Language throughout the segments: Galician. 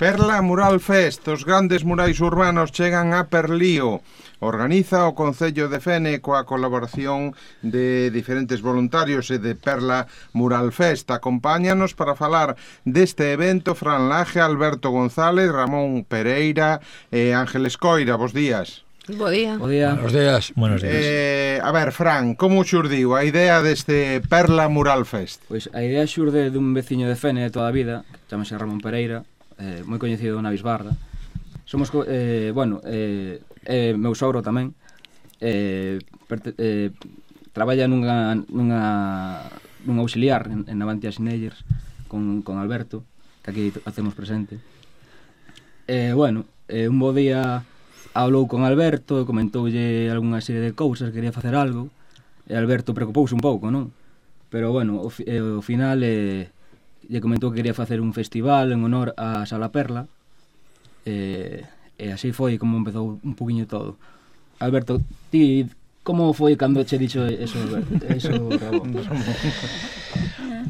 Perla Mural Fest, os grandes murais urbanos chegan a Perlío. Organiza o Concello de Fene coa colaboración de diferentes voluntarios e de Perla Mural Fest. Acompáñanos para falar deste evento Fran Laje, Alberto González, Ramón Pereira e Ángeles Coira. Bos días. Bo día. Bo día. Buenos días. Buenos días. A ver, Fran, como xurdiu a idea deste Perla Mural Fest? Pois a idea xurde dun veciño de Fene de toda a vida, que chamase Ramón Pereira, moi coñecido na Bisbarra. Somos, meu sogro tamén, traballa nunha auxiliar en Navantia Sinellers con Alberto, que aquí hacemos presente. Un bo día hablou con Alberto, comentoulle algunha serie de cousas, quería facer algo, e Alberto preocupouse un pouco, non? Pero, ao final lle comentou que quería facer un festival en honor a Sala Perla, e así foi como empezou un poquinho todo. Alberto, ti como foi cando che dixo eso Ramón?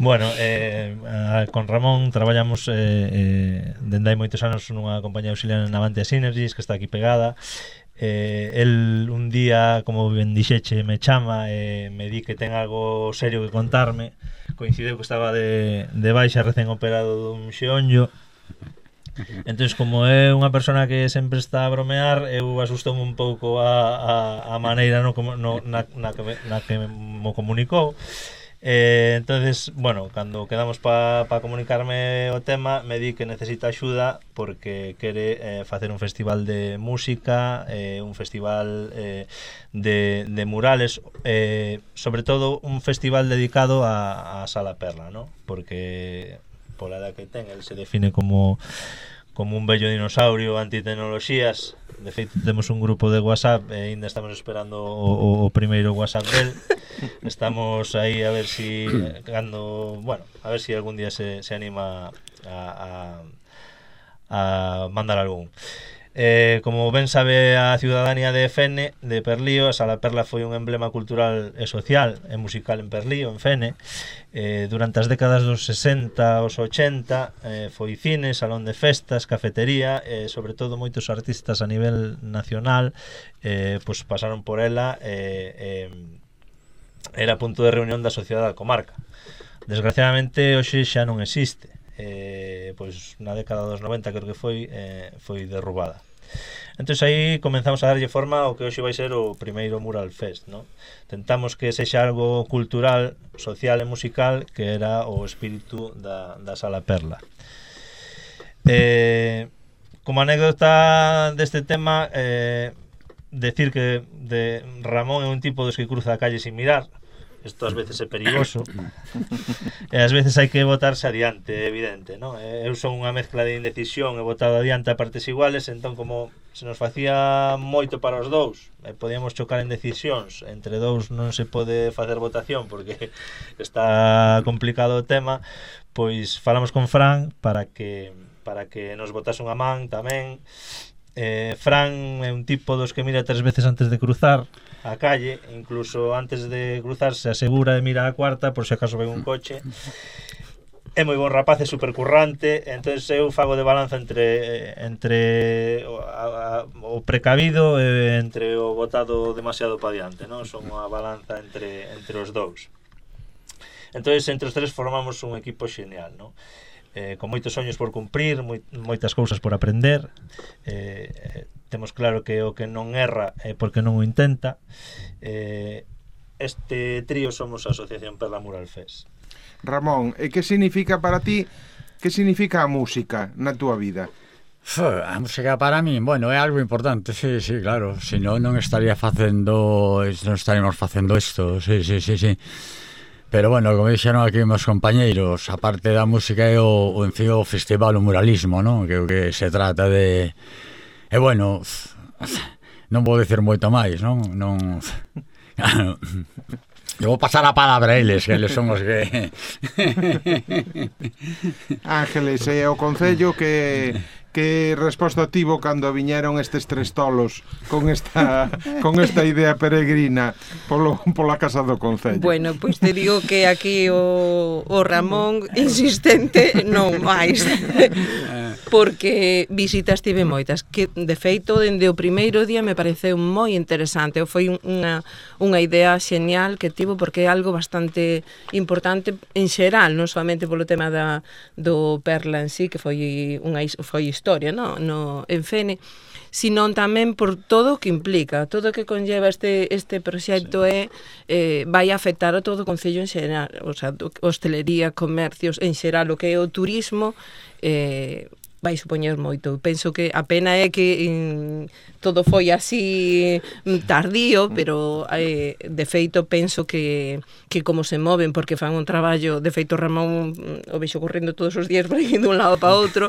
Bueno, con Ramón traballamos dende hai moitos anos nunha compañía auxiliar en Navantia Synergies, que está aquí pegada. El un día, como ben dixeche, me chama e me di que ten algo serio que contarme. Coincideu que estaba de baixa recén operado dun xeonllo. Entón, como é unha persona que sempre está a bromear, eu asustoume un pouco a maneira na que mo comunicou. Entonces, cando quedamos para comunicarme o tema, me di que necesita axuda porque quere facer un festival de música, un festival de murales, sobre todo un festival dedicado a Sala Perla, ¿no? Porque pola edad que ten, el se define como un bello dinosaurio antitecnoloxías. De feito, temos un grupo de WhatsApp e ainda estamos esperando o primeiro WhatsApp del. Estamos aí a ver si a ver si algún día se anima a mandar algún. Como ben sabe a ciudadanía de Fene, de Perlío, a Sala Perla foi un emblema cultural e social e musical en Perlío, en Fene. Durante as décadas dos 60 aos 80 foi cine, salón de festas, cafetería, sobre todo moitos artistas a nivel nacional pasaron por ela. Era punto de reunión da sociedade da comarca. Desgraciadamente hoxe xa non existe. Na década dos 90 creo que foi derrubada. Entón aí comenzamos a darlle forma ao que hoxe vai ser o primeiro Mural Fest, ¿no? Tentamos que sexa algo cultural, social e musical, que era o espírito da Sala Perla. Como anécdota deste tema, decir que Ramón é un tipo dos que cruza a calle sin mirar. Isto ás veces é perigoso e ás veces hai que botarse adiante, é evidente, non? Eu son unha mezcla de indecisión e botado adiante a partes iguales, entón como se nos facía moito para os dous e podíamos chocar en decisións entre dous, non se pode facer votación porque está complicado o tema, pois falamos con Fran para que nos botase unha man tamén. Fran é un tipo dos que mira 3 veces antes de cruzar a calle, incluso antes de cruzar se asegura de mirar a cuarta por se acaso ven un coche. É moi bon rapaz, é supercurrante, entonces eu fago de balanza entre o precavido e entre o botado demasiado pa diante, non? Son unha balanza entre os dous. Entonces entre os tres formamos un equipo xenial, non? Con moitos soños por cumprir, moitas cousas por aprender. Temos claro que o que non erra é porque non o intenta. Este trío somos a Asociación Perla Mural Fest. Ramón, e que significa para ti, que significa a música na túa vida? A música para mí, é algo importante, sí, claro. Se non estaríamos facendo isto, sí. Pero como dixeron aquí meus compañeiros, a parte da música é o festival, o muralismo, non? Que se trata de... non vou dicir moito máis, non? Eu vou pasar a palabra a eles, que eles son os que... Ángeles, é o Concello que resposta tivo cando viñeron estes tres tolos con esta idea peregrina pola casa do Concello? Bueno, pois te digo que aquí o Ramón insistente non máis. porque visitas tive moitas, que de feito dende o primeiro día me pareceu moi interesante, foi unha idea xenial que tivo, porque é algo bastante importante en xeral, non solamente polo tema do Perla en sí, que foi historia, no en Fene, sino tamén por todo o que implica, todo o que conlleva este proxecto vai afectar a todo o concello en xeral, o sea, hostelería, comercios, en xeral o que é o turismo, vai supoñer moito. Penso que a pena é que todo foi así tardío, pero de feito penso que como se moven, porque fan un traballo, de feito Ramón o vexo correndo todos os días por aí dun lado para outro,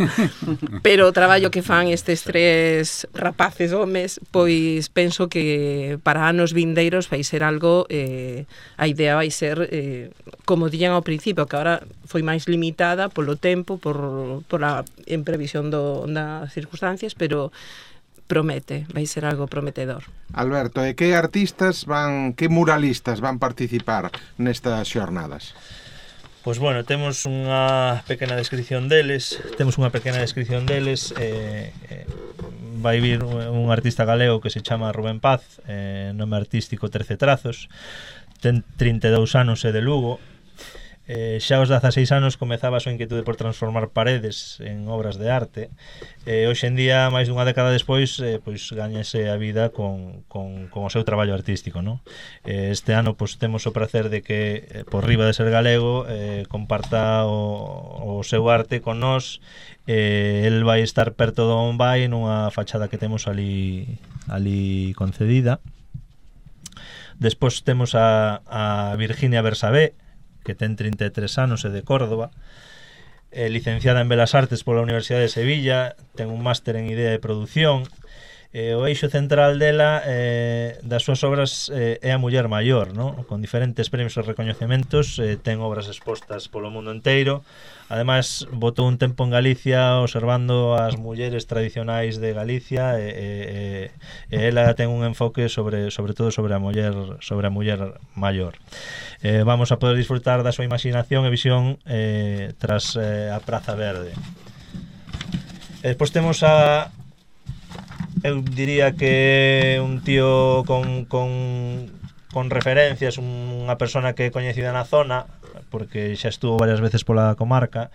pero o traballo que fan estes tres rapaces homes, pois penso que para anos vindeiros vai ser algo, a idea vai ser, como dían ao principio, que agora foi máis limitada polo tempo, por a previsión das circunstancias, pero promete, vai ser algo prometedor. Alberto, e que artistas que muralistas van participar nestas xornadas? Pois bueno, temos unha pequena descripción deles, vai vir un artista galego que se chama Rubén Paz, nome artístico 13 Trazos, ten 32 anos e de Lugo. Xa aos 16 anos comezaba a súa inquietude por transformar paredes en obras de arte, hoxe en día, máis dunha década despois, pois gañase a vida con o seu traballo artístico, no? Este ano pois temos o prazer de que, por riba de ser galego, comparta o seu arte con nós. El vai estar perto do Bombay nunha fachada que temos ali concedida. Despois temos a Virginia Bersabé, que ten 33 anos e de Córdoba, licenciada en Belas Artes pola Universidade de Sevilla, ten un máster en idea de produción. O eixo central dela, das súas obras, é a muller maior, no? Con diferentes premios e recoñecementos, ten obras expostas polo mundo inteiro. Ademais, botou un tempo en Galicia observando as mulleres tradicionais de Galicia, e ela ten un enfoque sobre todo sobre a muller maior. Vamos a poder disfrutar da súa imaginación e visión tras a Praza Verde. Despois temos eu diría que un tío con referencias, unha persona que é coñecida na zona, porque xa estuvo varias veces pola comarca,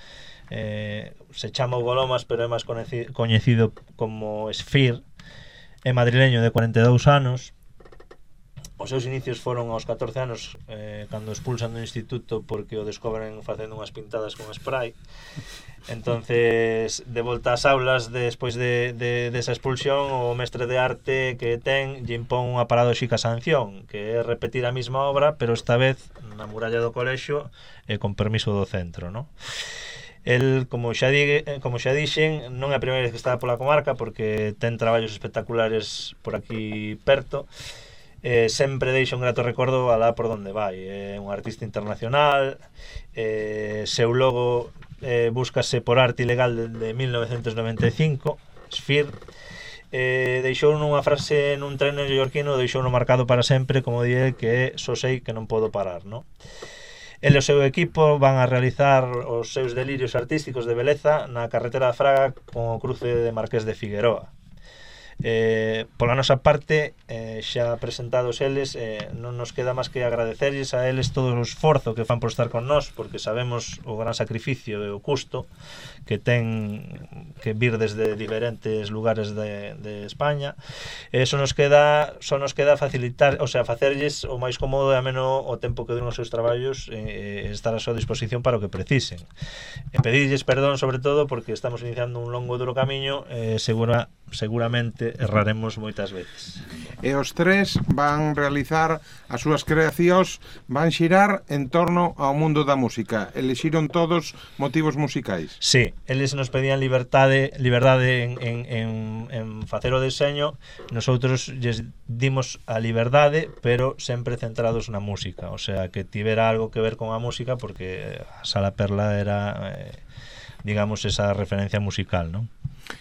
se chama Hugo Lomas, pero é máis coñecido como Esfir, é madrileño de 42 anos. Os seus inicios foron aos 14 anos, cando expulsan do instituto porque o descobren facendo unhas pintadas con spray. Entonces, de volta ás aulas, despois desa expulsión, o mestre de arte que ten lle impón unha paradóxica sanción, que é repetir a mesma obra, pero esta vez na muralla do colexio e con permiso do centro, no? El, como xa dixen, non é a primeira vez que está pola comarca, porque ten traballos espectaculares por aquí perto. Sempre deixa un grato recordo alá por donde vai. É un artista internacional, seu logo búscase por arte ilegal de 1995, Sphere. Deixou nunha frase nun tren neoyorquino, deixou no marcado para sempre, como dije, que só sei que non podo parar, no? El e o seu equipo van a realizar os seus delirios artísticos de beleza na carretera de Fraga con o cruce de Marqués de Figueroa. Pola nosa parte, xa presentados eles, non nos queda máis que agradecerles a eles todo o esforzo que fan por estar con nós, porque sabemos o gran sacrificio e o custo que ten que vir desde diferentes lugares de España. Só nos queda facilitar, o sea, facerlles o máis cómodo e ameno o tempo que duran os seus traballos, estar a súa disposición para o que precisen. Pedirlles perdón sobre todo porque estamos iniciando un longo e duro camiño, seguramente erraremos moitas veces. E os tres van realizar as súas creacións, van xirar en torno ao mundo da música. Elixiron todos motivos musicais. Sí, eles nos pedían liberdade en facer o deseño. Nosotros lles dimos a liberdade, pero sempre centrados na música, o sea, que tivera algo que ver con a música, porque a Sala Perla era, digamos, esa referencia musical, non?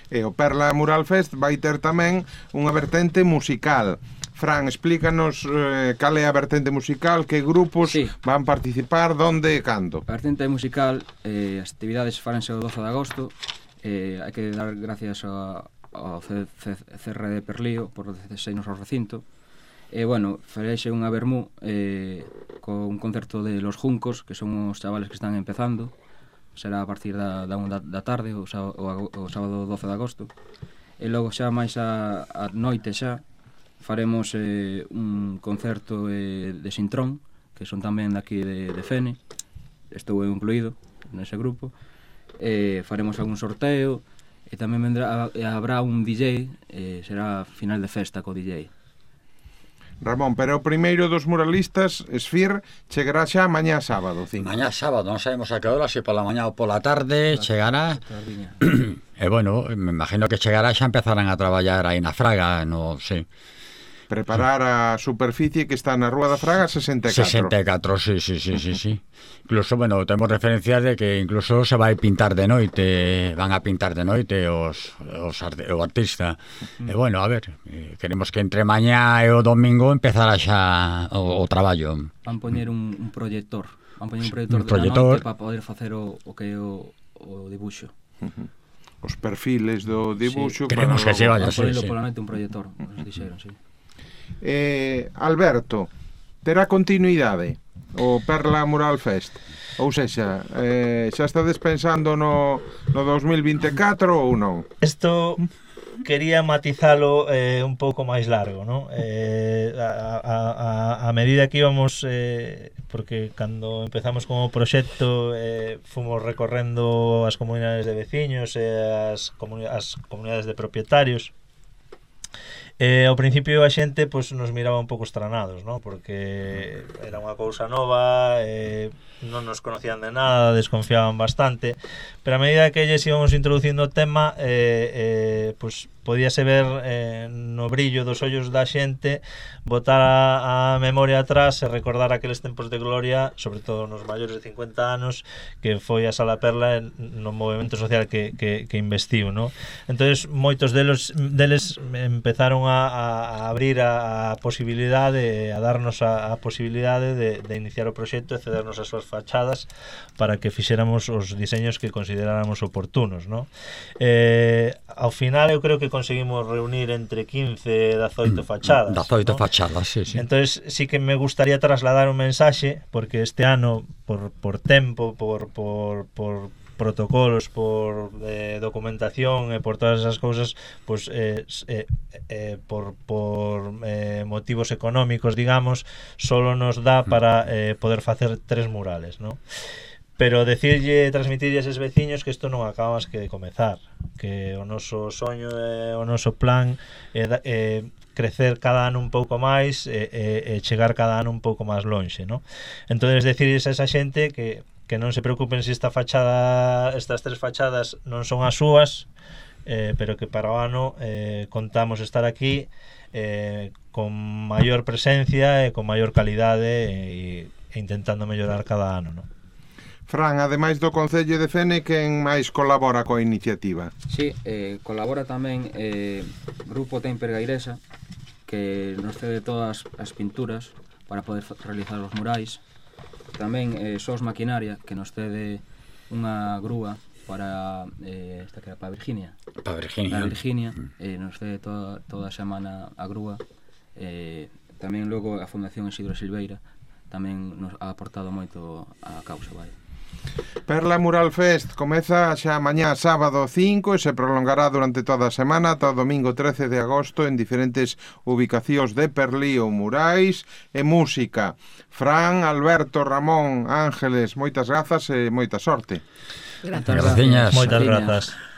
E o Perla Mural Fest vai ter tamén unha vertente musical. Fran, explícanos cal é a vertente musical, que grupos van participar, donde e cando. A vertente musical, as actividades faranse o 12 de agosto, hai que dar gracias ao CR de Perlío por cedernos ao recinto. Bueno, fareixe unha vermú con un concerto de Los Juncos, que son os chavales que están empezando. Será a partir da 1 da tarde, o sábado 12 de agosto. E logo xa máis a noite xa faremos un concerto de Sintrón, que son tamén daqui de Fene. Estou incluído nese grupo. Faremos algún sorteo e tamén habrá un DJ, será final de festa co DJ. Ramón, pero o primeiro dos muralistas, Esfir, chegará xa mañá sábado, 5. Mañá sábado, non sabemos a que hora, se pola mañá ou pola tarde, chegará. E bueno, me imagino que chegará, xa empezarán a traballar aí na Fraga, no sei. Preparar a superficie que está na Rúa da Fraga 64. 64, sí. Incluso, bueno, temos referencias de que incluso se vai pintar de noite, van a pintar de noite o artista. E bueno, a ver, queremos que entre mañá e o domingo empezara xa o traballo. Van poñer un proyector. Van poñer un proyector de noite para poder facer o que é o dibuixo. Os perfiles do dibuxo. Sí, queremos que se vaya, sí. Pola noite un proyector, nos dixeron, sí. Alberto, terá continuidade o Perla Mural Fest? Ou sexa, xa estades pensando no 2024 ou non? Isto quería matizalo un pouco máis largo, ¿no? A medida que íbamos, porque cando empezamos como proxecto fomos recorrendo as comunidades de veciños e as comunidades de propietarios. Ao principio a xente pues, nos miraba un pouco estranados, ¿no? Porque era unha cousa nova, non nos conocían de nada, desconfiaban bastante, pero a medida que lles íbamos introducindo o tema, pues, podíase ver no brillo dos ollos da xente botar a memoria atrás e recordar aqueles tempos de gloria, sobre todo nos maiores de 50 anos, que foi a Sala Perla no movimento social que investiu, ¿no? Entonces moitos deles empezaron a abrir a posibilidade, a darnos a posibilidade de iniciar o proxecto e cedernos as súas fachadas para que fixéramos os diseños que consideráramos oportunos, ¿no? Ao final eu creo que conseguimos reunir entre 15 e 18 fachadas. 18 fachadas, sí. Entonces sí que me gustaría trasladar un mensaxe, porque este ano, por tempo, por protocolos, por documentación e por todas esas cousas, pues, por motivos económicos, digamos, solo nos dá para poder facer 3 murales, ¿no? Pero transmitirlle a eses veciños que isto non acaba máis que de comezar, que o noso soño e o noso plan é crecer cada ano un pouco máis e chegar cada ano un pouco máis lonxe, ¿no? Entonces decirles a esa xente que non se preocupen se estas 3 fachadas non son as súas, pero que para o ano contamos estar aquí con maior presencia e con maior calidade e intentando mellorar cada ano, ¿no? Fran, ademais do Concello de Fene, quen máis colabora coa iniciativa? Sí, colabora tamén Grupo Temper Gairesa, que nos cede todas as pinturas para poder realizar os murais. Tamén SOS Maquinaria, que nos cede unha grúa para esta que era para Virginia. Para Virginia. Nos cede toda a semana a grúa. Tamén logo a Fundación Isidro Silveira tamén nos ha aportado moito a causa, vai. Perla Mural Fest comeza xa mañá sábado 5 e se prolongará durante toda a semana ata o domingo 13 de agosto en diferentes ubicacións de Perlío, murais e música. Fran, Alberto, Ramón, Ángeles, moitas grazas e moita sorte. Grazas. Moitas grazas.